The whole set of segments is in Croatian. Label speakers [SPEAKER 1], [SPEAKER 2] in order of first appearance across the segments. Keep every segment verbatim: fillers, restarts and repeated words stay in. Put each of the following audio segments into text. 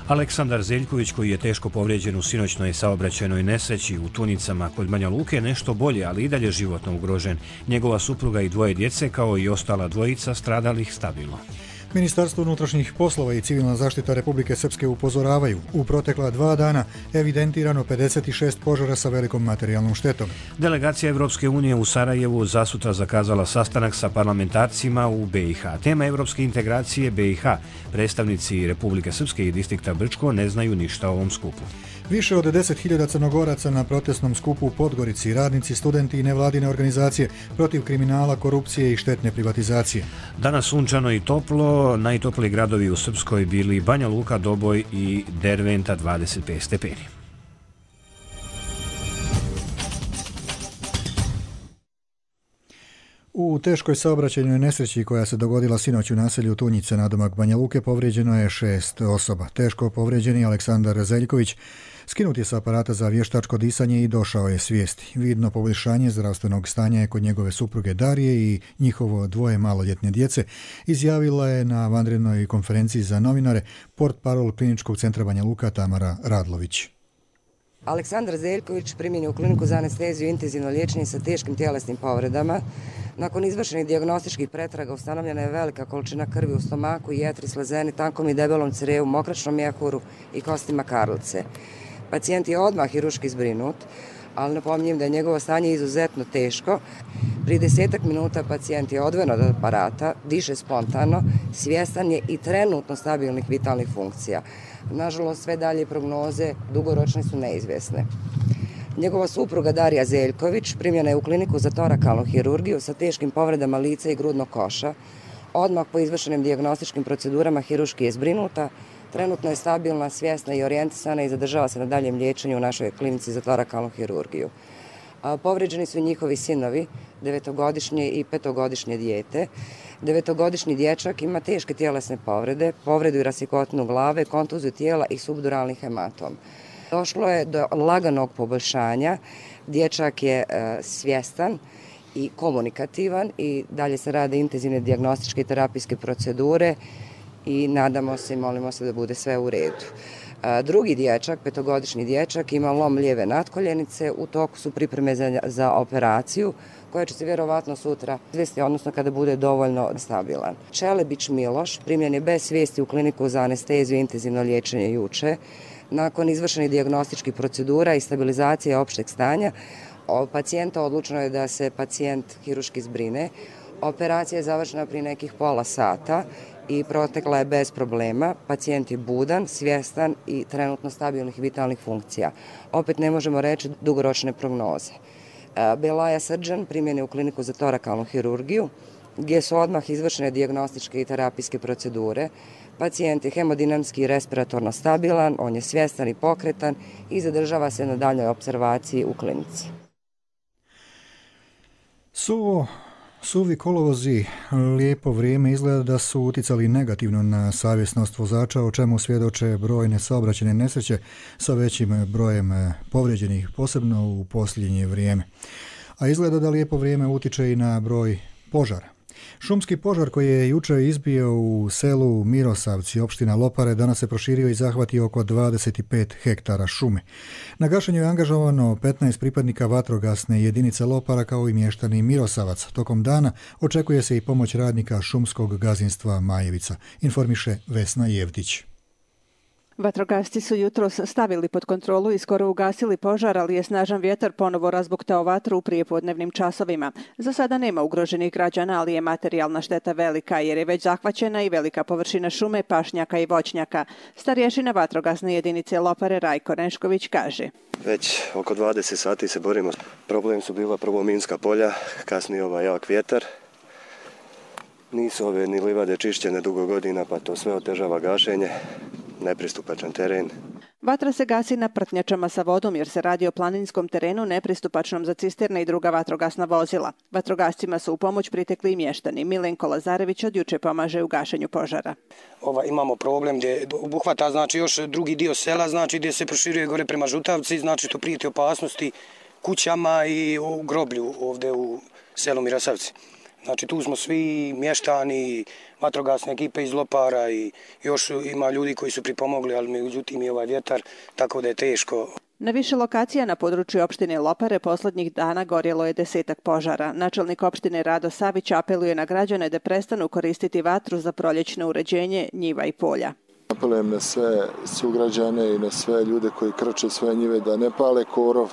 [SPEAKER 1] Aleksandar Zeljković, koji je teško povrijeđen u sinoćnoj saobraćajnoj nesreći u Tunicama kod Banja Luke, nešto bolje, ali i dalje životno ugrožen. Njegova supruga i dvoje djece, kao i ostala dvojica stradalih, stabilno.
[SPEAKER 2] Ministarstvo unutrašnjih poslova i civilna zaštita Republike Srpske upozoravaju, u protekla dva dana evidentirano pedeset šest požara sa velikom materijalnom štetom.
[SPEAKER 1] Delegacija Evropske unije u Sarajevu zasutra zakazala sastanak sa parlamentarcima u B i H. Tema evropske integracije B i H. Predstavnici Republike Srpske i distrikta Brčko ne znaju ništa o ovom skupu.
[SPEAKER 2] Više od deset hiljada Crnogoraca na protestnom skupu u Podgorici, radnici, studenti i nevladine organizacije protiv kriminala, korupcije i štetne privatizacije.
[SPEAKER 1] Danas sunčano i toplo, najtopliji gradovi u Srpskoj bili Banja Luka, Doboj i Derventa, dvadeset pet stepeni.
[SPEAKER 2] U teškoj saobraćajnoj nesreći koja se dogodila sinoć u naselju Tunjice nadomak Banja Luke povrijeđeno je šest osoba. Teško povrijeđeni Aleksandar Zeljković skinut je sa aparata za vještačko disanje i došao je svijesti. Vidno poboljšanje zdravstvenog stanja je kod njegove supruge Darije i njihovo dvoje maloljetne djece, izjavila je na vanrednoj konferenciji za novinare portparol Kliničkog centra Banja Luka Tamara Radlović.
[SPEAKER 3] Aleksandar Zeljković primjen je u kliniku za anesteziju i intenzivno liječenje sa teškim tjelesnim povredama. Nakon izvršenih dijagnostičkih pretraga ustanovljena je velika količina krvi u stomaku, jetri, slezeni, tankom i debelom crevu, mokračnom mjehuru i kostima karlice. Pacijent je odmah hiruški zbrinut, ali napominjem da je njegovo stanje izuzetno teško. Prije desetak minuta pacijent je odvojen od aparata, diše spontano, svjestan je i trenutno stabilnih vitalnih funkcija. Nažalost, sve dalje prognoze dugoročne su neizvjesne. Njegova supruga Darija Zeljković primljena je u kliniku za torakalnu hirurgiju sa teškim povredama lica i grudnog koša. Odmah po izvršenim dijagnostičkim procedurama hiruški je zbrinuta, trenutno je stabilna, svjesna i orijentisana i zadržava se na daljem liječenju u našoj klinici za torakalnu hirurgiju. Povređeni su njihovi sinovi, devetogodišnje i petogodišnje dijete. Devetogodišnji dječak ima teške tjelesne povrede, povredu i rasikotinu glave, kontuziju tijela i subduralni hematom. Došlo je do laganog poboljšanja, dječak je e, svjestan i komunikativan i dalje se rade intenzivne dijagnostičke i terapijske procedure i nadamo se i molimo se da bude sve u redu. E, drugi dječak, petogodišnji dječak, ima lom lijeve natkoljenice, u toku su pripreme za, za operaciju koja će se vjerovatno sutra izvesti, odnosno kada bude dovoljno stabilan. Čelebić Miloš primljen je bez svijesti u kliniku za anesteziju i intenzivno liječenje juče. Nakon izvršenih dijagnostičkih procedura i stabilizacije opšteg stanja, od pacijenta odlučeno je da se pacijent hiruški zbrine. Operacija je završena prije nekih pola sata i protekla je bez problema. Pacijent je budan, svjestan i trenutno stabilnih vitalnih funkcija. Opet ne možemo reći dugoročne prognoze. Belaja Srđan primjen je u kliniku za torakalnu hirurgiju, gdje su odmah izvršene dijagnostičke i terapijske procedure. Pacijent je hemodinamski i respiratorno stabilan, on je svjestan i pokretan i zadržava se na daljnjoj opservaciji u klinici.
[SPEAKER 2] Suvo, suvi kolovozi, lijepo vrijeme izgleda da su uticali negativno na savjesnost vozača, o čemu svjedoče brojne saobraćajne nesreće sa većim brojem povrijeđenih, posebno u posljednje vrijeme. A izgleda da lijepo vrijeme utiče i na broj požara. Šumski požar koji je jučer izbio u selu Mirosavci, opština Lopare, danas se proširio i zahvatio oko dvadeset pet hektara šume. Na gašenju je angažovano petnaest pripadnika vatrogasne jedinice Lopara kao i mještani Mirosavac. Tokom dana očekuje se i pomoć radnika šumskog gazdinstva Majevica, informiše Vesna Jevdić.
[SPEAKER 4] Vatrogasci su jutros stavili pod kontrolu i skoro ugasili požar, ali je snažan vjetar ponovo razbuktao vatru u prijepodnevnim časovima. Za sada nema ugroženih građana, ali je materijalna šteta velika jer je već zahvaćena i velika površina šume, pašnjaka i voćnjaka. Starješina vatrogasne jedinice Lopare Rajko Nešković kaže:
[SPEAKER 5] Već oko dvadeset sati se borimo. Problem su bila prvo minska polja, kasnije ovaj jak vjetar. Nisu ove ni livade čišćene dugo godina, pa to sve otežava gašenje. Nepristupačan teren.
[SPEAKER 4] Vatra se gasi na prtnjačama sa vodom jer se radi o planinskom terenu nepristupačnom za cisterne i druga vatrogasna vozila. Vatrogascima su u pomoć pritekli i mještani. Milenko Lazarević od juče pomaže u gašenju požara.
[SPEAKER 6] Ova, imamo problem gdje obuhvata znači, još drugi dio sela, znači gdje se proširuje gore prema Žutavci, znači to prijeti opasnosti kućama i u groblju ovdje u selu Mirosavci. Znači tu smo svi mještani, vatrogasne ekipe iz Lopara i još ima ljudi koji su pripomogli, ali međutim i ovaj vjetar, tako da je teško.
[SPEAKER 4] Na više lokacija na području opštine Lopare posljednjih dana gorjelo je desetak požara. Načelnik opštine Rado Savić apeluje na građane da prestanu koristiti vatru za proljećno uređenje njiva i polja.
[SPEAKER 7] Apelujem na sve sugrađane i na sve ljude koji krče svoje njive da ne pale korov.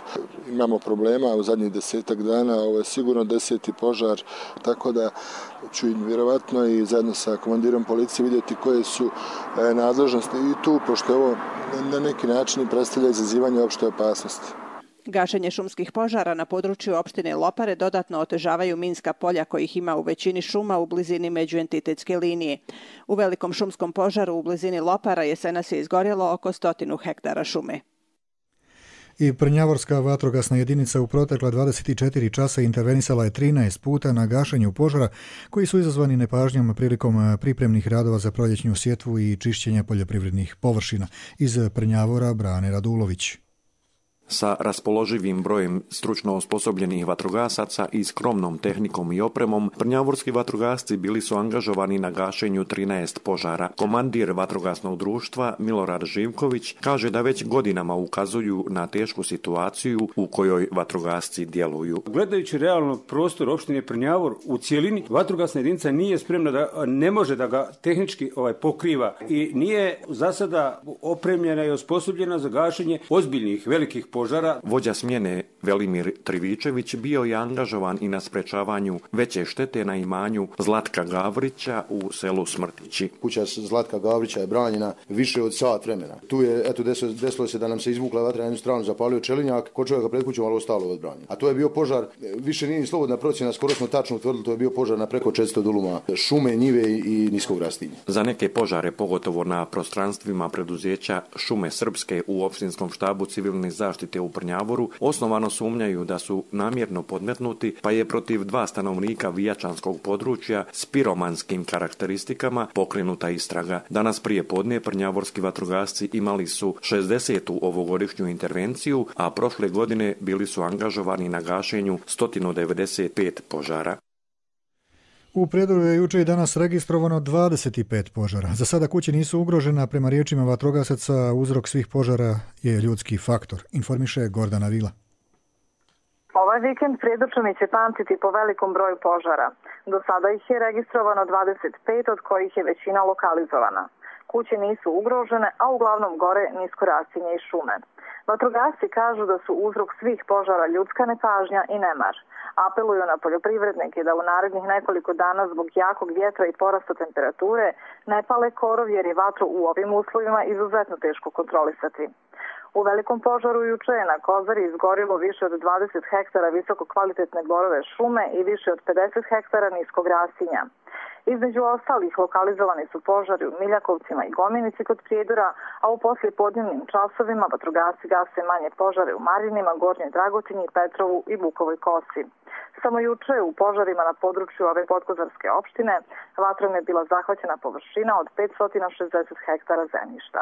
[SPEAKER 7] Imamo problema u zadnjih desetak dana, ovo je sigurno deseti požar, tako da ću vjerovatno i zajedno sa komandirom policije vidjeti koje su nadležnosti i tu, pošto ovo na neki način predstavlja izazivanje opšte opasnosti.
[SPEAKER 4] Gašenje šumskih požara na području opštine Lopare dodatno otežavaju minska polja kojih ima u većini šuma u blizini međuentitetske linije. U velikom šumskom požaru u blizini Lopara jesenas je izgorjelo oko stotinu hektara šume.
[SPEAKER 2] I Prnjavorska vatrogasna jedinica u protekla dvadeset četiri časa intervenisala je trinaest puta na gašenju požara koji su izazvani nepažnjom prilikom pripremnih radova za proljećnu sjetvu i čišćenja poljoprivrednih površina. Iz Prnjavora Brane Radulović.
[SPEAKER 8] Sa raspoloživim brojem stručno osposobljenih vatrogasaca i skromnom tehnikom i opremom, prnjavorski vatrogasci bili su angažovani na gašenju trinaest požara. Komandir vatrogasnog društva Milorad Živković kaže da već godinama ukazuju na tešku situaciju u kojoj vatrogasci djeluju.
[SPEAKER 9] Gledajući realno prostor opštine Prnjavor u cijelini, vatrogasna jedinica nije spremna da ne može da ga tehnički ovaj pokriva i nije za sada opremljena i osposobljena za gašenje ozbiljnih velikih požara.
[SPEAKER 8] Vođa smjene Velimir Trivičević bio je angažovan i na sprečavanju veće štete na imanju Zlatka Gavrića u selu Smrtići.
[SPEAKER 10] Kuća Zlatka Gavrića je branjena više od sat vremena. Tu je, eto, desilo, desilo se da nam se izvukla vatra na jednu stranu, zapalio čelinjak, kod čovjeka pred kućom, ali ostalo odbranjeno. A to je bio požar, više nije ni slobodna procjena, skoro smo tačno utvrdili, to je bio požar na preko četiristo duluma šume, njive i niskog rastinja.
[SPEAKER 8] Za neke požare, pogotovo na prostranstvima preduzeća Šume Srpske u opštinskom štabu civilne zaštite u Prnjavoru, osnovano sumnjaju da su namjerno podmetnuti, pa je protiv dva stanovnika vijačanskog područja s piromanskim karakteristikama pokrenuta istraga. Danas prije podne prnjavorski vatrogasci imali su šezdesetu ovogodišnju intervenciju, a prošle godine bili su angažovani na gašenju sto devedeset pet požara.
[SPEAKER 2] U Prijedoru je juče i danas registrovano dvadeset pet požara. Za sada kuće nisu ugrožena, prema riječima vatrogasaca uzrok svih požara je ljudski faktor, informiše Gordana Vila.
[SPEAKER 11] Ovaj vikend Prijedorčani će pamtiti po velikom broju požara. Do sada ih je registrovano dvadeset pet, od kojih je većina lokalizovana. Kuće nisu ugrožene, a uglavnom gore nisko rastinje i šume. Vatrogasci kažu da su uzrok svih požara ljudska nepažnja i nemar. Apeluju na poljoprivrednike da u narednih nekoliko dana zbog jakog vjetra i porasta temperature ne pale korov jer je vatru u ovim uslovima izuzetno teško kontrolisati. U velikom požaru juče je na Kozari izgorilo više od dvadeset hektara visoko kvalitetne borove šume i više od pedeset hektara niskog rastinja. Između ostalih lokalizovani su požari u Miljakovcima i Gominici kod Prijedora, a u poslijepodnevnim časovima vatrogasci gase manje požare u Marinima, Gornjoj Dragotinji, Petrovu i Bukovoj Kosi. Samo juče u požarima na području ove podkozarske opštine vatrom je bila zahvaćena površina od petsto šezdeset hektara zemljišta.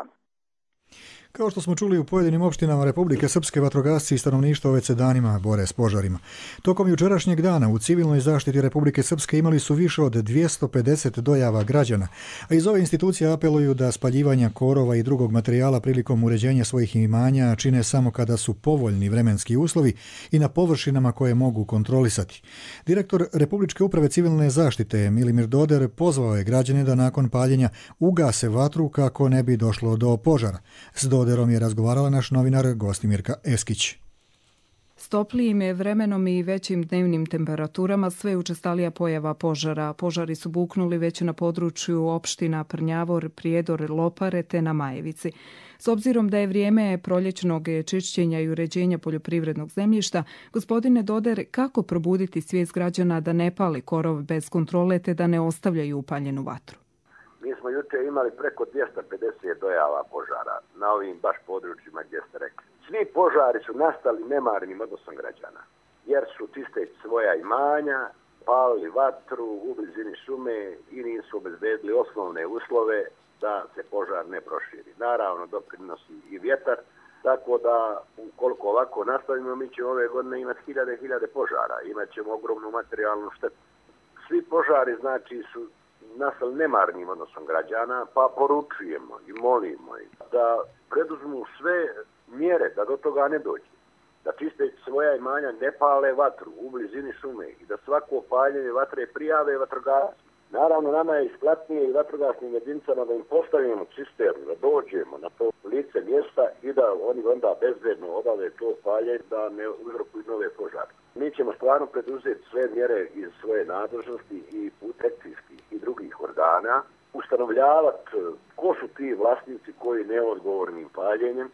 [SPEAKER 2] Kao što smo čuli, u pojedinim opštinama Republike Srpske vatrogasci i stanovništvo već se danima bore s požarima. Tokom jučerašnjeg dana u civilnoj zaštiti Republike Srpske imali su više od dvjesto pedeset dojava građana, a iz ove institucije apeluju da spaljivanja korova i drugog materijala prilikom uređenja svojih imanja čine samo kada su povoljni vremenski uslovi i na površinama koje mogu kontrolisati. Direktor Republičke uprave civilne zaštite Milimir Doder pozvao je građane da nakon paljenja ugase vatru kako ne bi došlo do požara. S Doderom je razgovarala naš novinar Gostimirka Eskić.
[SPEAKER 12] S toplijim je vremenom i većim dnevnim temperaturama sve učestalija pojava požara. Požari su buknuli već na području opština Prnjavor, Prijedor, Lopare te na Majevici. S obzirom da je vrijeme proljećnog čišćenja i uređenja poljoprivrednog zemljišta, gospodine Doder, kako probuditi svijest građana da ne pali korov bez kontrole te da ne ostavljaju upaljenu vatru?
[SPEAKER 13] Mi smo juče imali preko dvjesto pedeset dojava požara na ovim baš područjima gdje ste rekli. Svi požari su nastali nemarnim odnosom građana, jer su čisteći svoja imanja, palili vatru u blizini šume i nisu obezbedili osnovne uslove da se požar ne proširi. Naravno, doprinosi i vjetar, tako da ukoliko ovako nastavimo, mi ćemo ove godine imati hiljade hiljade požara, imat ćemo ogromnu materijalnu štetu. svi požari znači su nastali nemarnim odnosom građana, pa poručujemo i molimo ih da preduzmu sve mjere da do toga ne dođe. Da čisteći svoja imanja ne pale vatru u blizini šume i da svako paljenje vatre prijave vatrogasci. Naravno, nama je isplatnije i vatrogasnim jedinicama da im postavimo cisternu, da dođemo na to lice mjesta i da oni onda bezbedno obave to paljenje, da ne uzrokuju nove požare. Mi ćemo stvarno preduzeti sve mjere iz svoje nadležnosti i protekcijskih i drugih organa, ustanovljavati ko su ti vlasnici koji neodgovornim paljenjem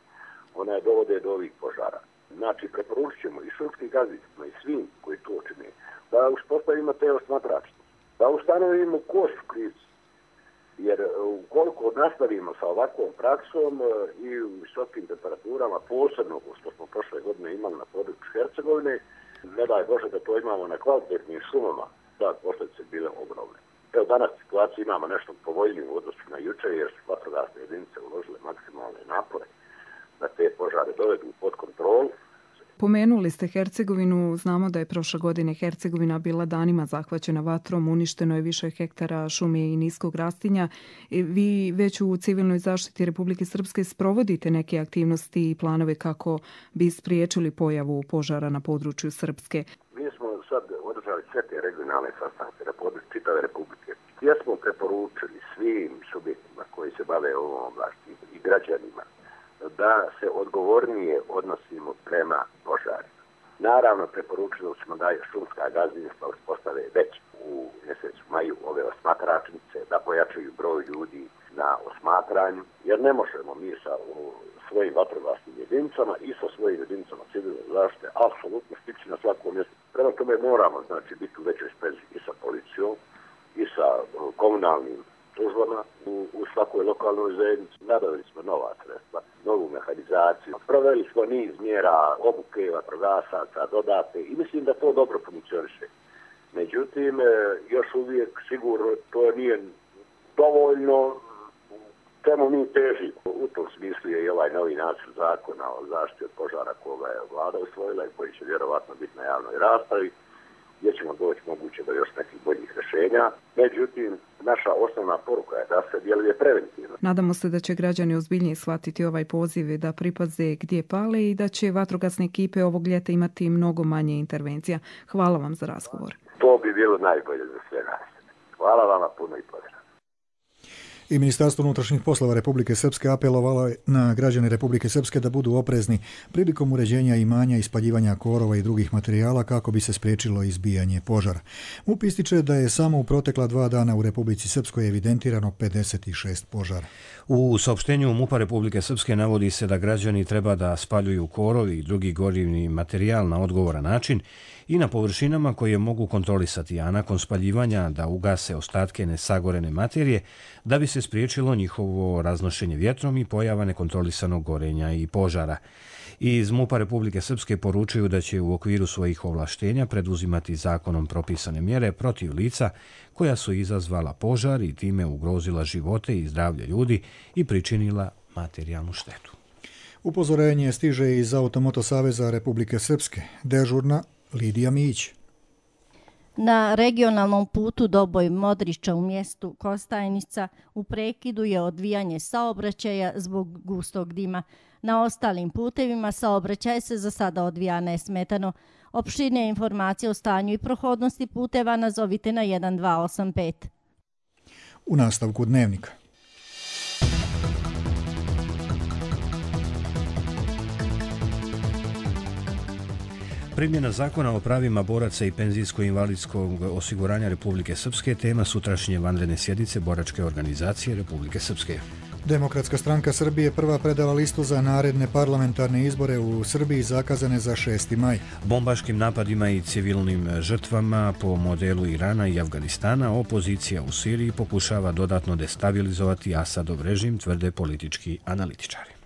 [SPEAKER 13] onaj dovode do ovih požara. Znači, preporučit ćemo i šumskim gazdicima i svim koji to čine, da uspostavimo te osmatračne, da ustanovimo ko su krivci. Jer ukoliko nastavimo sa ovakvom praksom i u visokim temperaturama, posebno što smo prošle godine imali na području Hercegovine, ne daj Bože da to imamo na kvalitetnim šumama, da posljedice bile ogromne. Evo danas situaciju imamo nešto povoljniju u odnosu na jučer, jer su vatrogasne jedinice uložile maksimalne napore da te požare dovedu pod kontrolu.
[SPEAKER 12] Pomenuli ste Hercegovinu, znamo da je prošle godine Hercegovina bila danima zahvaćena vatrom, uništeno je više hektara šume i niskog rastinja. Vi već u civilnoj zaštiti Republike Srpske sprovodite neke aktivnosti i planove kako bi spriječili pojavu požara na području Srpske.
[SPEAKER 13] Mi smo sad održali sve te regionalne sastanke na području čitave Republike, gdje smo preporučili svim subjektima koji se bave ovom oblasti i građanima da se odgovornije odnosimo prema požarima. Naravno, preporučili smo da je šumska gazdinstva uspostave već u mjesecu maju ove osmatračnice, da pojačaju broj ljudi na osmatranju, jer ne možemo mi sa svojim vatrogasnim jedinicama i sa svojim jedinicama civilne zaštite apsolutno stići na svakom mjestu. Prema tome moramo znači, biti u većoj sprezi i sa policijom i sa komunalnim službama u, u svakoj lokalnoj zajednici. Nabavili smo nova sredstva, novu mehanizaciju, proveli smo niz mjera obuke vatrogasaca, dodate i mislim da to dobro funkcioniše. Međutim, još uvijek sigurno to nije dovoljno čemu mi težimo. U tom smislu je i ovaj novi nacrt zakona o zaštiti od požara koga je vlada usvojila i koji će vjerovatno biti na javnoj raspravi, gdje ćemo doći moguće do još nekih boljih rješenja. Međutim, naša osnovna poruka je da se djeluje preventivno.
[SPEAKER 12] Nadamo se da će građani ozbiljnije shvatiti ovaj poziv, da pripaze gdje pale i da će vatrogasne ekipe ovog ljeta imati mnogo manje intervencija. Hvala vam za razgovor.
[SPEAKER 13] To bi bilo najbolje za sve nas. Hvala vama puno i pozdrav.
[SPEAKER 2] I Ministarstvo unutrašnjih poslova Republike Srpske apelovalo je na građane Republike Srpske da budu oprezni prilikom uređenja imanja i spaljivanja korova i drugih materijala kako bi se spriječilo izbijanje požara. MUP ističe da je samo u protekla dva dana u Republici Srpskoj evidentirano pedeset šest požara.
[SPEAKER 1] U saopštenju MUP-a Republike Srpske navodi se da građani treba da spaljuju korov i drugi gorivni materijal na odgovoran način i na površinama koje mogu kontrolisati, a nakon spaljivanja da ugase ostatke nesagorene materije da bi se spriječilo njihovo raznošenje vjetrom i pojava nekontrolisanog gorenja i požara. Iz MUP-a Republike Srpske poručuju da će u okviru svojih ovlaštenja preduzimati zakonom propisane mjere protiv lica koja su izazvala požar i time ugrozila živote i zdravlje ljudi i pričinila materijalnu štetu.
[SPEAKER 2] Upozorenje stiže iz Automoto Saveza Republike Srpske. Dežurna Lidija Mić.
[SPEAKER 14] Na regionalnom putu Doboj Modrića u mjestu Kostajnica u prekidu je odvijanje saobraćaja zbog gustog dima. Na ostalim putevima saobraćaj se za sada odvija nesmetano. Opširnije informacije o stanju i prohodnosti puteva nazovite na jedan dva osam pet.
[SPEAKER 2] U nastavku dnevnika.
[SPEAKER 1] Primjena zakona o pravima boraca i penzijsko-invalidskog osiguranja Republike Srpske tema sutrašnje vanredne sjednice Boračke organizacije Republike Srpske.
[SPEAKER 2] Demokratska stranka Srbije prva predala listu za naredne parlamentarne izbore u Srbiji zakazane za šesti maj.
[SPEAKER 1] Bombaškim napadima i civilnim žrtvama po modelu Irana i Afganistana opozicija u Siriji pokušava dodatno destabilizovati Asadov režim, tvrde politički analitičari.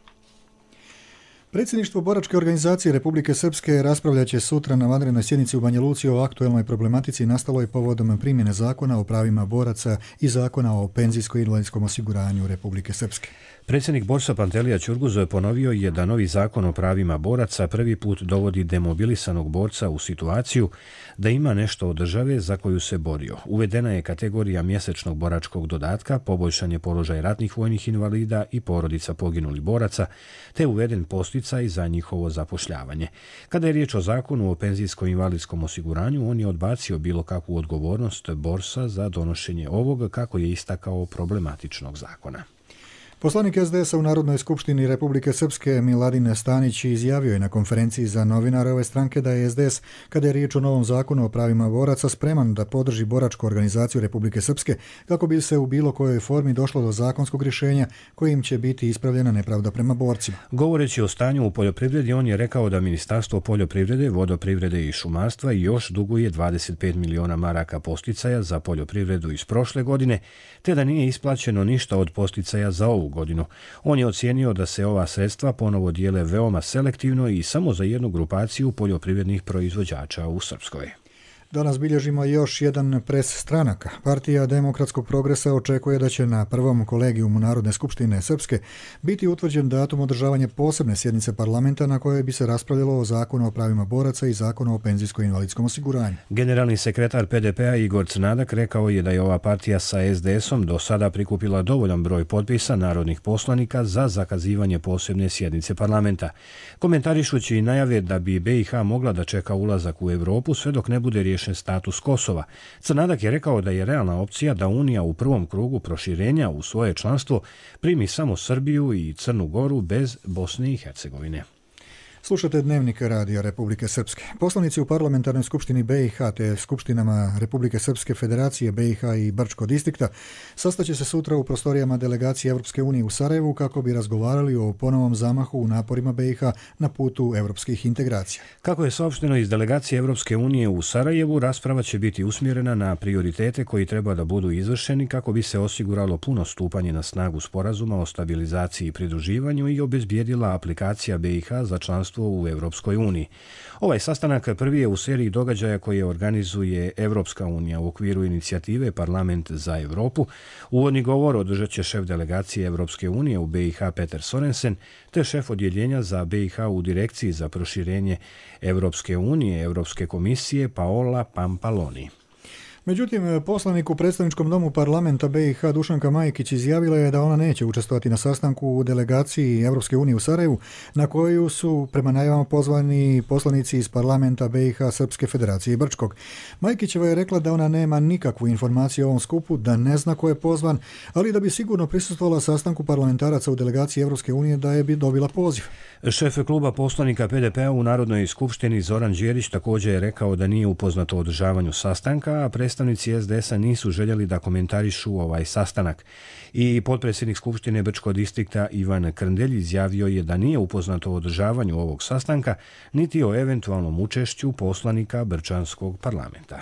[SPEAKER 2] Predsjedništvo Boračke organizacije Republike Srpske raspravljat će sutra na vanrednoj sjednici u Banja Luci o aktuelnoj problematici nastaloj povodom primjene zakona o pravima boraca i zakona o penzijsko-invalidskom osiguranju Republike Srpske.
[SPEAKER 1] Predsjednik Borsa Pantelija Ćurguzo ponovio je da novi zakon o pravima boraca prvi put dovodi demobilisanog borca u situaciju da ima nešto od države za koju se borio. Uvedena je kategorija mjesečnog boračkog dodatka, poboljšan je položaj ratnih vojnih invalida i porodica poginulih boraca, te uveden posticaj za njihovo zapošljavanje. Kada je riječ o zakonu o penzijsko-invalidskom osiguranju, on je odbacio bilo kakvu odgovornost Borsa za donošenje ovog, kako je istakao, problematičnog zakona.
[SPEAKER 2] Poslanik es de es a u Narodnoj skupštini Republike Srpske Miladin Stanić izjavio je na konferenciji za novinare ove stranke da je es de es, kada je riječ o novom zakonu o pravima boraca, spreman da podrži boračku organizaciju Republike Srpske kako bi se u bilo kojoj formi došlo do zakonskog rješenja kojim će biti ispravljena nepravda prema borcima.
[SPEAKER 1] Govoreći o stanju u poljoprivredi, on je rekao da Ministarstvo poljoprivrede, vodoprivrede i šumarstva još duguje dvadeset pet miliona maraka posticaja za poljoprivredu iz prošle godine, te da nije isplaćeno ništa od posticaja za ovu godinu. On je ocijenio da se ova sredstva ponovo dijele veoma selektivno i samo za jednu grupaciju poljoprivrednih proizvođača u Srpskoj.
[SPEAKER 2] Danas bilježimo još jedan pres stranaka. Partija Demokratskog progresa očekuje da će na prvom kolegijumu Narodne skupštine Srpske biti utvrđen datum održavanja posebne sjednice parlamenta na kojoj bi se raspravljalo o zakonu o pravima boraca i zakonu o penzijsko-invalidskom osiguranju.
[SPEAKER 1] Generalni sekretar pe de pea Igor Crnadak rekao je da je ova partija sa es de esom do sada prikupila dovoljan broj potpisa narodnih poslanika za zakazivanje posebne sjednice parlamenta. Komentarišući i najave da bi be i ha mogla da čeka ulazak u Europu sve dok ne bude riješen status Kosova. Crnadak je rekao da je realna opcija da Unija u prvom krugu proširenja u svoje članstvo primi samo Srbiju i Crnu Goru bez Bosne i Hercegovine.
[SPEAKER 2] Slušate Dnevnik Radija Republike Srpske. Poslanici u parlamentarnoj skupštini be i ha te skupštinama Republike Srpske, Federacije be i ha i Brčko distrikta sastaće se sutra u prostorijama delegacije Evropske unije u Sarajevu kako bi razgovarali o ponovom zamahu u naporima be i ha na putu evropskih integracija.
[SPEAKER 1] Kako je saopšteno iz delegacije Evropske unije u Sarajevu, rasprava će biti usmjerena na prioritete koji treba da budu izvršeni kako bi se osiguralo puno stupanje na snagu sporazuma o stabilizaciji i pridruživanju i obezbijedila aplikacija be i ha za članstvo u Evropskoj uniji. Ovaj sastanak prvi je u seriji događaja koje organizuje Evropska unija u okviru inicijative Parlament za Evropu. Uvodni govor održat će šef delegacije Evropske unije u be i ha Peter Sorensen, te šef odjeljenja za be i ha u direkciji za proširenje Evropske unije, Evropske komisije Paola Pampaloni.
[SPEAKER 2] Međutim, poslanik u predstavničkom domu parlamenta be i ha Dušanka Majkić izjavila je da ona neće učestvovati na sastanku u delegaciji Evropske unije u Sarajevu, na koju su prema najavama pozvani poslanici iz parlamenta be i ha Srpske federacije i Brčkog. Majkićeva je rekla da ona nema nikakvu informaciju o ovom skupu, da ne zna ko je pozvan, ali da bi sigurno prisustvovala sastanku parlamentaraca u delegaciji Evropske unije da je bi dobila poziv.
[SPEAKER 1] Šef kluba poslanika pe de pea u Narodnoj skupštini Zoran Đerić također je rekao da nije upoznat o održavanju sastanka, a predstavnici es de esa nisu željeli da komentarišu ovaj sastanak. I potpredsjednik Skupštine Brčkog distrikta Ivan Krndelj izjavio je da nije upoznat o održavanju ovog sastanka, niti o eventualnom učešću poslanika Brčanskog parlamenta.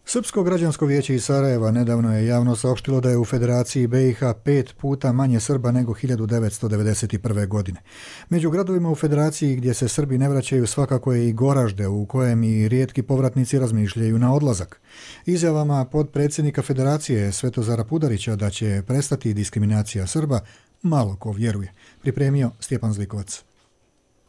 [SPEAKER 2] Srpsko građansko vijeće iz Sarajeva nedavno je javno saopštilo da je u Federaciji be i ha pet puta manje Srba nego hiljadu devetsto devedeset prve. godine. Među gradovima u Federaciji gdje se Srbi ne vraćaju svakako je i Goražde, u kojem i rijetki povratnici razmišljaju na odlazak. Izjavama podpredsjednika Federacije Svetozara Pudarića da će prestati diskriminacija Srba malo ko vjeruje. Pripremio Stjepan Zlikovac.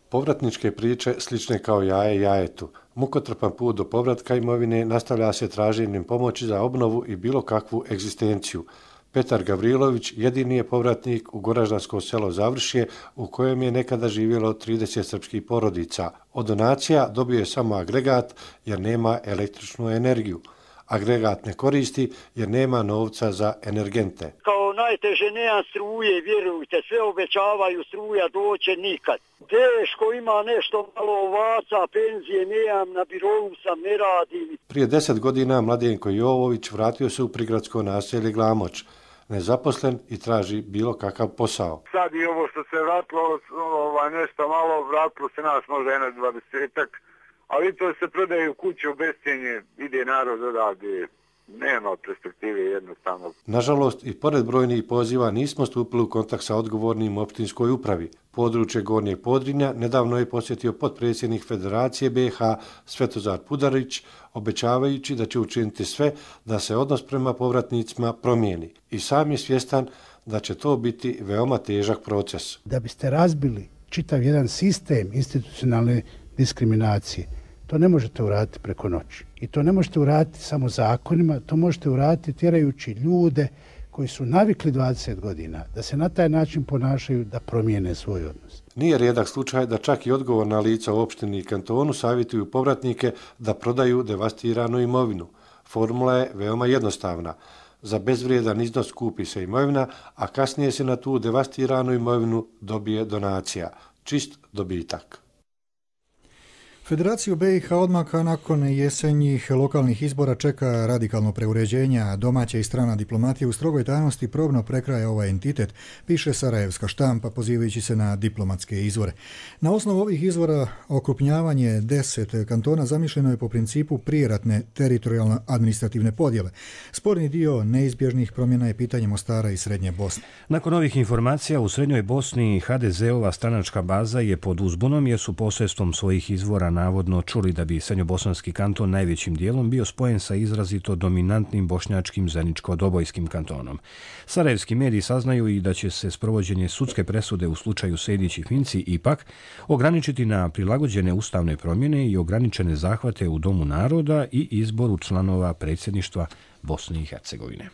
[SPEAKER 15] Povratničke priče slične kao jaje jajetu. Mukotrpan put do povratka imovine nastavlja se traženjem pomoći za obnovu i bilo kakvu egzistenciju. Petar Gavrilović jedini je povratnik u goraždansko selo Završje u kojem je nekada živjelo trideset srpskih porodica. Od donacija dobio je samo agregat jer nema električnu energiju. Agregat ne koristi jer nema novca za energente.
[SPEAKER 16] Kao najteže nema struje, vjerujte, sve obećavaju, struja doće nikad. Teško, ima nešto malo ovaca, penzije nemam, na birovu sam, ne radim.
[SPEAKER 15] Prije deset godina Mladenko Jovović vratio se u prigradsko naselje Glamoč, nezaposlen i traži bilo kakav posao.
[SPEAKER 17] Sad i ovo što se vratilo, ovaj, nešto malo, vratilo se nas možda jedno dvadesetak, ali to se prodaju kuće u bescijenje, ide narod odavde. nema perspektive jednostavno.
[SPEAKER 15] Nažalost, i pored brojnih poziva nismo stupili u kontakt sa odgovornim u opštinskoj upravi. Područje Gornjeg Podrinja nedavno je posjetio potpredsjednik Federacije B i H Svetozar Pudarić, obećavajući da će učiniti sve da se odnos prema povratnicima promijeni. I sam je svjestan da će to biti veoma težak proces.
[SPEAKER 18] Da biste razbili čitav jedan sistem institucionalne diskriminacije, to ne možete uraditi preko noći. I to ne možete uraditi samo zakonima, to možete uraditi tjerajući ljude koji su navikli dvadeset godina da se na taj način ponašaju, da promijene svoj odnos.
[SPEAKER 15] Nije rijedak slučaj da čak i odgovorna lica u opštini i kantonu savjetuju povratnike da prodaju devastiranu imovinu. Formula je veoma jednostavna. Za bezvrijedan iznos kupi se imovina, a kasnije se na tu devastiranu imovinu dobije donacija. Čist dobitak.
[SPEAKER 2] Federaciju B i H odmah nakon jesenjih lokalnih izbora čeka radikalno preuređenje, a domaća i strana diplomatija u strogoj tajnosti probno prekraja ovaj entitet, piše sarajevska štampa pozivajući se na diplomatske izvore. Na osnovu ovih izvora okrupnjavanje deset kantona zamišljeno je po principu prijeratne teritorijalno administrativne podjele. Sporni dio neizbježnih promjena je pitanje Mostara i Srednje Bosne.
[SPEAKER 1] Nakon ovih informacija u Srednjoj Bosni ha de ze-ova stranačka baza je pod uzbunom jer su posredstvom svojih izvora navodno čuli da bi srednjobosanski kanton najvećim dijelom bio spojen sa izrazito dominantnim bošnjačkim zajedničko-dobojskim kantonom. Sarajevski mediji saznaju i da će se sprovođenje sudske presude u slučaju Sejdić i Finci ipak ograničiti na prilagođene ustavne promjene i ograničene zahvate u Domu naroda i izboru članova predsjedništva Bosne i Hercegovine.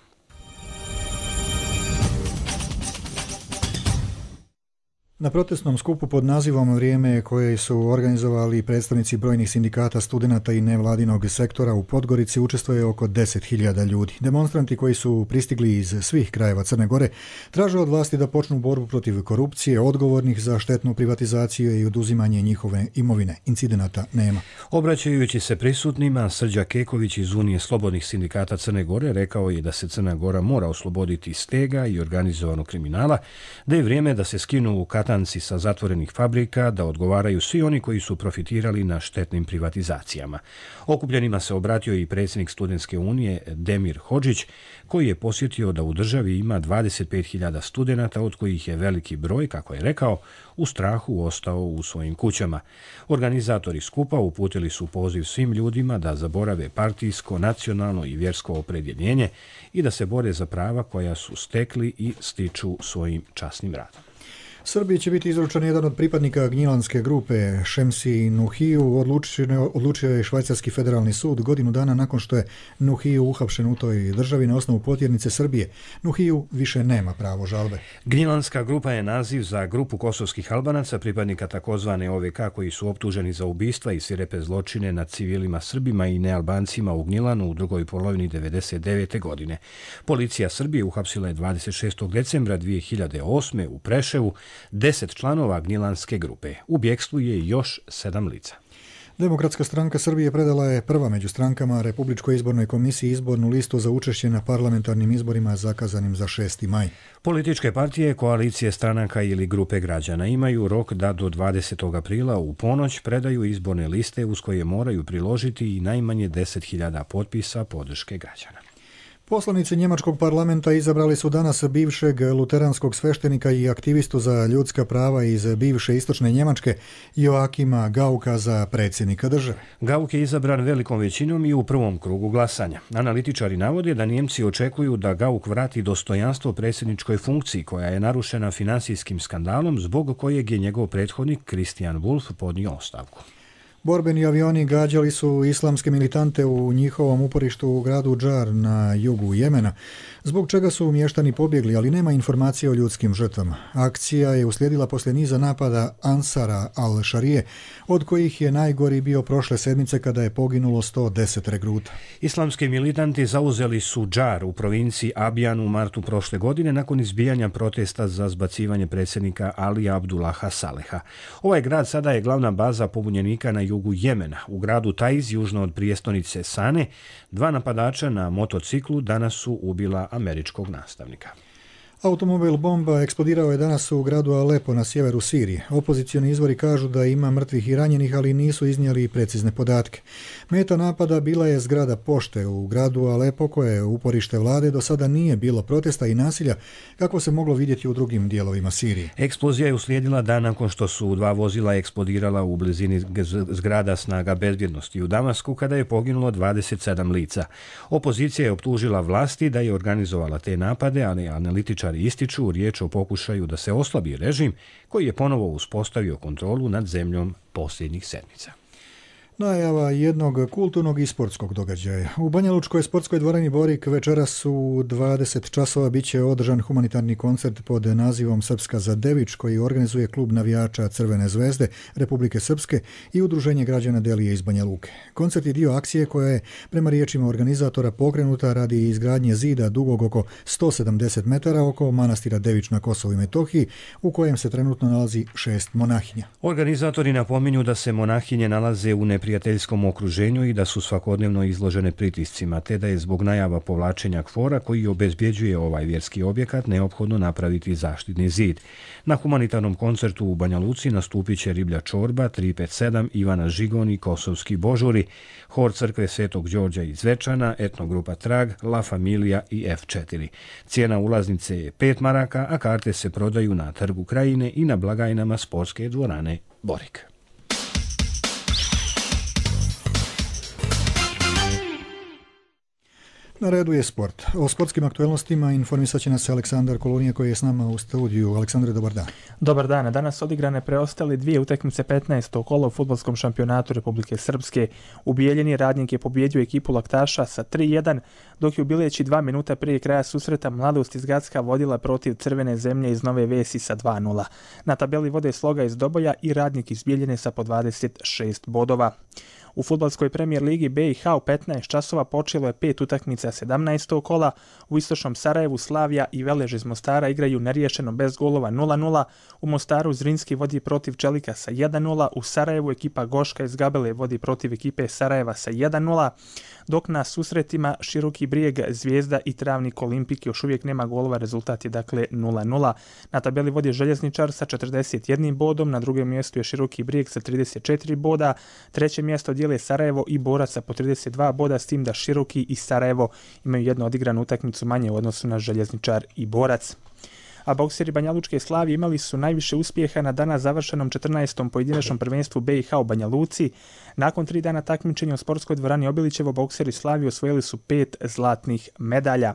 [SPEAKER 2] Na protestnom skupu pod nazivom Vrijeme koje su organizovali predstavnici brojnih sindikata, studenata i nevladinog sektora u Podgorici učestvuje oko deset hiljada ljudi. Demonstranti koji su pristigli iz svih krajeva Crne Gore traže od vlasti da počnu borbu protiv korupcije, odgovornih za štetnu privatizaciju i oduzimanje njihove imovine. Incidenata nema.
[SPEAKER 1] Obraćajući se prisutnima, Srđa Keković iz Unije slobodnih sindikata Crne Gore rekao je da se Crna Gora mora osloboditi stega i organizovanog kriminala, da je vrijeme da se skinu u katanci sa zatvorenih fabrika, da odgovaraju svi oni koji su profitirali na štetnim privatizacijama. Okupljenima se obratio i predsjednik Studentske unije Demir Hodžić, koji je posjetio da u državi ima dvadeset pet hiljada studenata, od kojih je veliki broj, kako je rekao, u strahu ostao u svojim kućama. Organizatori skupa uputili su poziv svim ljudima da zaborave partijsko, nacionalno i vjersko opredjeljenje i da se bore za prava koja su stekli i stiču svojim časnim radom.
[SPEAKER 2] Srbiji će biti izručen jedan od pripadnika gnjilanske grupe Šemsi Nuhiju, odlučio je Švajcarski federalni sud godinu dana nakon što je Nuhiju uhapšen u toj državi na osnovu potjernice Srbije. Nuhiju više nema pravo žalbe.
[SPEAKER 1] Gnjilanska grupa je naziv za grupu kosovskih Albanaca, pripadnika takozvane o ve ka koji su optuženi za ubistva i svirepe zločine nad civilima Srbima i nealbancima u Gnjilanu u drugoj polovini devedeset devete. godine. Policija Srbije uhapsila je dvadeset šestog decembra dvije hiljade osme. u Preševu deset članova gnjilanske grupe. U bjekstvu je još sedam lica.
[SPEAKER 2] Demokratska stranka Srbije predala je prva među strankama Republičkoj izbornoj komisiji izbornu listu za učešće na parlamentarnim izborima zakazanim za šesti maj.
[SPEAKER 1] Političke partije, koalicije stranaka ili grupe građana imaju rok da do dvadesetog aprila u ponoć predaju izborne liste uz koje moraju priložiti i najmanje deset hiljada potpisa podrške građana.
[SPEAKER 2] Poslanici njemačkog parlamenta izabrali su danas bivšeg luteranskog sveštenika i aktivistu za ljudska prava iz bivše istočne Njemačke Joakima Gauka za predsjednika države.
[SPEAKER 1] Gauk je izabran velikom većinom i u prvom krugu glasanja. Analitičari navode da Njemci očekuju da Gauk vrati dostojanstvo predsjedničkoj funkciji koja je narušena finansijskim skandalom zbog kojeg je njegov prethodnik Christian Wulff podnio ostavku.
[SPEAKER 2] Borbeni avioni gađali su islamske militante u njihovom uporištu u gradu Džar na jugu Jemena, zbog čega su mještani pobjegli, ali nema informacije o ljudskim žrtvama. Akcija je uslijedila poslije niza napada Ansara al-Šarije, od kojih je najgori bio prošle sedmice kada je poginulo sto deset regruta.
[SPEAKER 1] Islamski militanti zauzeli su Džar u provinciji Abjan u martu prošle godine nakon izbijanja protesta za zbacivanje predsjednika Alija Abdullaha Saleha. Ovaj grad sada je glavna baza pobunjenika na jugu Jemena. U gradu Taiz, južno od prijestolnice Sane, dva napadača na motociklu danas su ubila američkog nastavnika.
[SPEAKER 2] Automobil bomba eksplodirao je danas u gradu Alepo na sjeveru Sirije. Opozicioni izvori kažu da ima mrtvih i ranjenih, ali nisu iznijeli precizne podatke. Meta napada bila je zgrada pošte u gradu Alepo, koje je uporište vlade. Do sada nije bilo protesta i nasilja kako se moglo vidjeti u drugim dijelovima Sirije.
[SPEAKER 1] Eksplozija je uslijedila dan nakon što su dva vozila eksplodirala u blizini zgrada snaga bezbjednosti u Damasku, kada je poginulo dvadeset sedam lica. Opozicija je optužila vlasti da je organizovala te napade, ali analitičari ističu riječ o pokušaju da se oslabi režim koji je ponovo uspostavio kontrolu nad zemljom posljednjih sedmica.
[SPEAKER 2] Najava jednog kulturnog i sportskog događaja. U Banjalučkoj sportskoj dvorani Borik večeras u dvadeset časova bit će održan humanitarni koncert pod nazivom Srpska za Devič, koji organizuje klub navijača Crvene zvezde Republike Srpske i udruženje građana Delije iz Banja Luke. Koncert je dio akcije koja je, prema riječima organizatora, pokrenuta radi izgradnje zida dugog oko sto sedamdeset metara oko manastira Devič na Kosovu i Metohiji, u kojem se trenutno nalazi šest monahinja.
[SPEAKER 1] Organizatori napominju da se monahinje nalaze u neprijateljskom okruženju i da su svakodnevno izložene pritiscima, te da je zbog najava povlačenja kvora koji obezbjeđuje ovaj vjerski objekat neophodno napraviti zaštitni zid. Na humanitarnom koncertu u Banja Luci nastupit će Riblja čorba, tri pet sedam, Ivana Žigon i Kosovski božuri, hor crkve Svetog Đorđa iz Zvečana, etnogrupa Trag, La Familija i F četiri. Cijena ulaznice je pet maraka, a karte se prodaju na Trgu Krajine i na blagajnama sportske dvorane Borik.
[SPEAKER 2] Na redu je sport. O sportskim aktualnostima informisat će nas Aleksandar Kolonija koji je s nama u studiju. Aleksandre, dobar dan.
[SPEAKER 19] Dobar dan. Danas odigrane preostale dvije utakmice petnaestog kola u fudbalskom šampionatu Republike Srpske. U Bijeljini Radnik je pobjedio ekipu Laktaša sa tri jedan, dok je u Bileći dva minuta prije kraja susreta Mladost iz Gacka vodila protiv Crvene zemlje iz Nove Vesi sa dva nula. Na tabeli vode Sloga iz Doboja i Radnik iz Bijeljine sa po dvadeset šest bodova. U fudbalskoj premijer ligi B i H u petnaest časova počelo je pet utakmica sedamnaestog kola. U istočnom Sarajevu Slavija i Velež iz Mostara igraju neriješeno bez golova nula nula. U Mostaru Zrinski vodi protiv Čelika sa jedan nula. U Sarajevu ekipa Goška iz Gabele vodi protiv ekipe Sarajeva sa jedan nula. Dok na susretima Široki Brijeg, Zvijezda i Travnik Olimpik još uvijek nema golova, rezultat je dakle nula nula. Na tabeli vodi Željezničar sa četrdeset jednim bodom, na drugom mjestu je Široki Brijeg sa trideset četiri boda, treće mjesto dijele Sarajevo i Borac sa po trideset dva boda, s tim da Široki i Sarajevo imaju jednu odigranu utakmicu manje u odnosu na Željezničar i Borac. A bokseri Banjalučke Slavije imali su najviše uspjeha na danas završenom četrnaestom pojedinačnom prvenstvu B i H u Banja Luci. Nakon tri dana takmičenja u sportskoj dvorani Obilićevo bokseri Slavije osvojili su pet zlatnih medalja.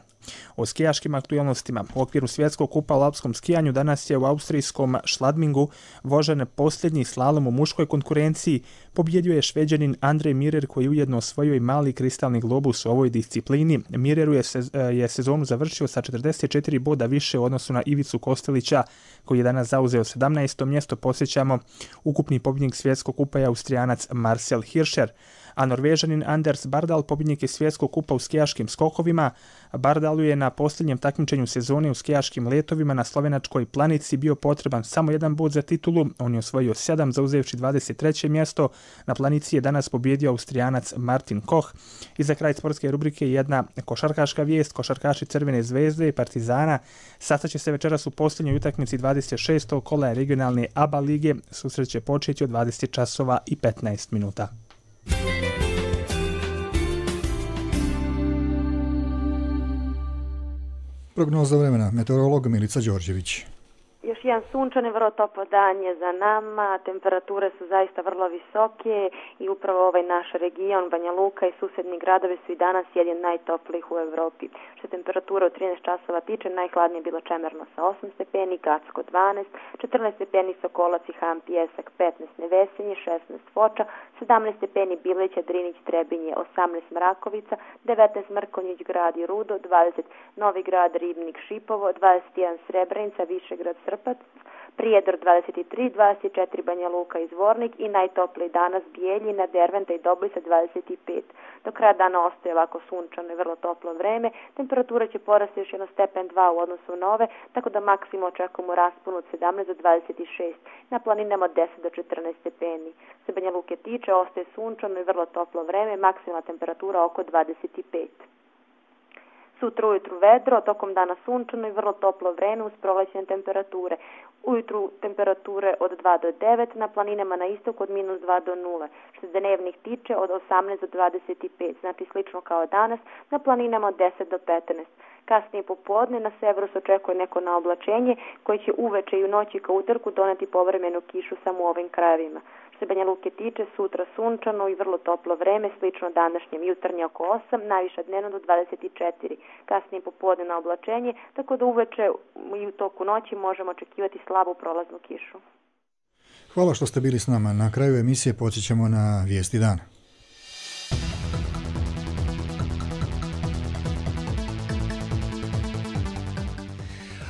[SPEAKER 19] O skijaškim aktualnostima. U okviru svjetskog kupa u alpskom skijanju danas je u austrijskom Šladmingu vožen posljednji slalom u muškoj konkurenciji. Pobjedio je Šveđanin Andrej Mirer koji ujedno osvojio i mali kristalni globus u ovoj disciplini. Mireru je, sez, je sezonu završio sa četrdeset četiri boda više u odnosu na Ivicu Kostelića koji je danas zauzeo sedamnaesto mjesto. Posjećamo, ukupni pobjednik svjetskog kupa je Austrijanac Marcel Hirscher. A Norvežanin Anders Bardal pobjednik je svjetskog kupa u skijaškim skokovima. Bardalu je na posljednjem takmičenju sezone u skijaškim letovima na slovenačkoj Planici bio potreban samo jedan bod za titulu. On je osvojio sedam, zauzevši dvadeset treće mjesto. Na Planici je danas pobjedio Austrijanac Martin Koch. I za kraj sportske rubrike jedna košarkaška vijest. Košarkaši Crvene zvezde i Partizana sastaće se večeras u posljednjoj utakmici dvadeset šestog kola regionalne A B A lige. Susret će početi od dvadeset časova i petnaest minuta.
[SPEAKER 2] Prognoza vremena, meteorolog Milica Đorđević.
[SPEAKER 20] Još jedan sunčan i vrlo toplo dan je za nama, temperature su zaista vrlo visoke i upravo ovaj naš region, Banja Luka i susedni gradovi su i danas jedni najtoplijih u Evropi. Što temperatura u trinaest časova tiče, najhladnije je bilo Čemerno sa osam stepeni, Gacko dvanaest, četrnaest stepeni Sokolac i Han Pijesak, petnaest Nevesinje, šesnaest Foča, sedamnaest stepeni Bilića, Drinić, Trebinje, osamnaest Mrakovica, devetnaest Mrkonjić, Grad i Rudo, dvadeset Novi Grad, Ribnik, Šipovo, dvadeset jedan Srebrenica, Višegrad, Srpac, Prijedor dvadeset tri, dvadeset četiri Banja Luka i Zvornik i najtopliji danas Bijeljina, Derventa i Doblica dvadeset pet. Do kraja dana ostaje ovako sunčano i vrlo toplo vreme. Temperatura će porasti još jedno stepen dva u odnosu na ove, tako da maksimum očekujemo raspon od sedamnaest do dvadeset šest. Na planinama od deset do četrnaest stepeni. Se Banja Luke tiče, ostaje sunčano i vrlo toplo vreme, maksimalna temperatura oko dvadeset pet. Sutra ujutru vedro, tokom dana sunčano i vrlo toplo vreme uz prolećne temperature. Ujutru temperature od dva do devet, na planinama na istoku od minus dva do nula. Što se dnevnih tiče od osamnaest do dvadeset pet, znači slično kao danas, na planinama od deset do petnaest. Kasnije popodne na severu se očekuje neko naoblačenje koje će uveče i u noći kao utorku doneti povremenu kišu samo u ovim krajevima. Što se Banja Luke tiče, sutra sunčano i vrlo toplo vreme, slično današnjem, jutarnje oko osam, najviša dnevno do dvadeset četiri. Kasnije popodne na oblačenje, tako da uveče i u toku noći možemo očekivati slabu prolaznu kišu.
[SPEAKER 2] Hvala što ste bili s nama. Na kraju emisije podsjećamo na vijesti dana.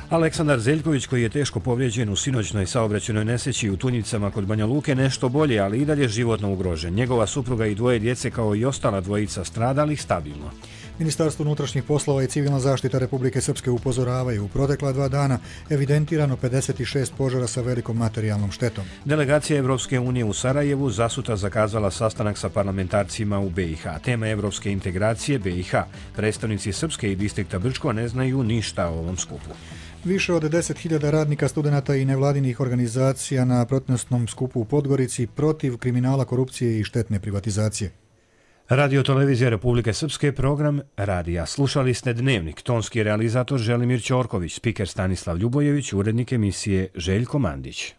[SPEAKER 1] Aleksandar Zeljković, koji je teško povrijeđen u sinoćnoj saobraćajnoj nesreći u Tunjicama kod Banja Luke, nešto bolje, ali i dalje životno ugrožen. Njegova supruga i dvoje djece, kao i ostala dvojica stradalih, stabilno.
[SPEAKER 2] Ministarstvo unutrašnjih poslova i civilna zaštita Republike Srpske upozoravaju u protekla dva dana evidentirano pedeset šest požara sa velikom materijalnom štetom.
[SPEAKER 1] Delegacija Evropske unije u Sarajevu zasutra zakazala sastanak sa parlamentarcima u B i H. Tema evropske integracije B i H. Predstavnici Srpske i distrikta Brčko ne znaju ništa o ovom skupu.
[SPEAKER 2] Više od deset hiljada radnika, studenata i nevladinih organizacija na protestnom skupu u Podgorici protiv kriminala, korupcije i štetne privatizacije.
[SPEAKER 1] Radio Televizija Republike Srpske, program Radija. Slušali ste Dnevnik, tonski realizator Želimir Ćorković, spiker Stanislav Ljubojević, urednik emisije Željko Mandić.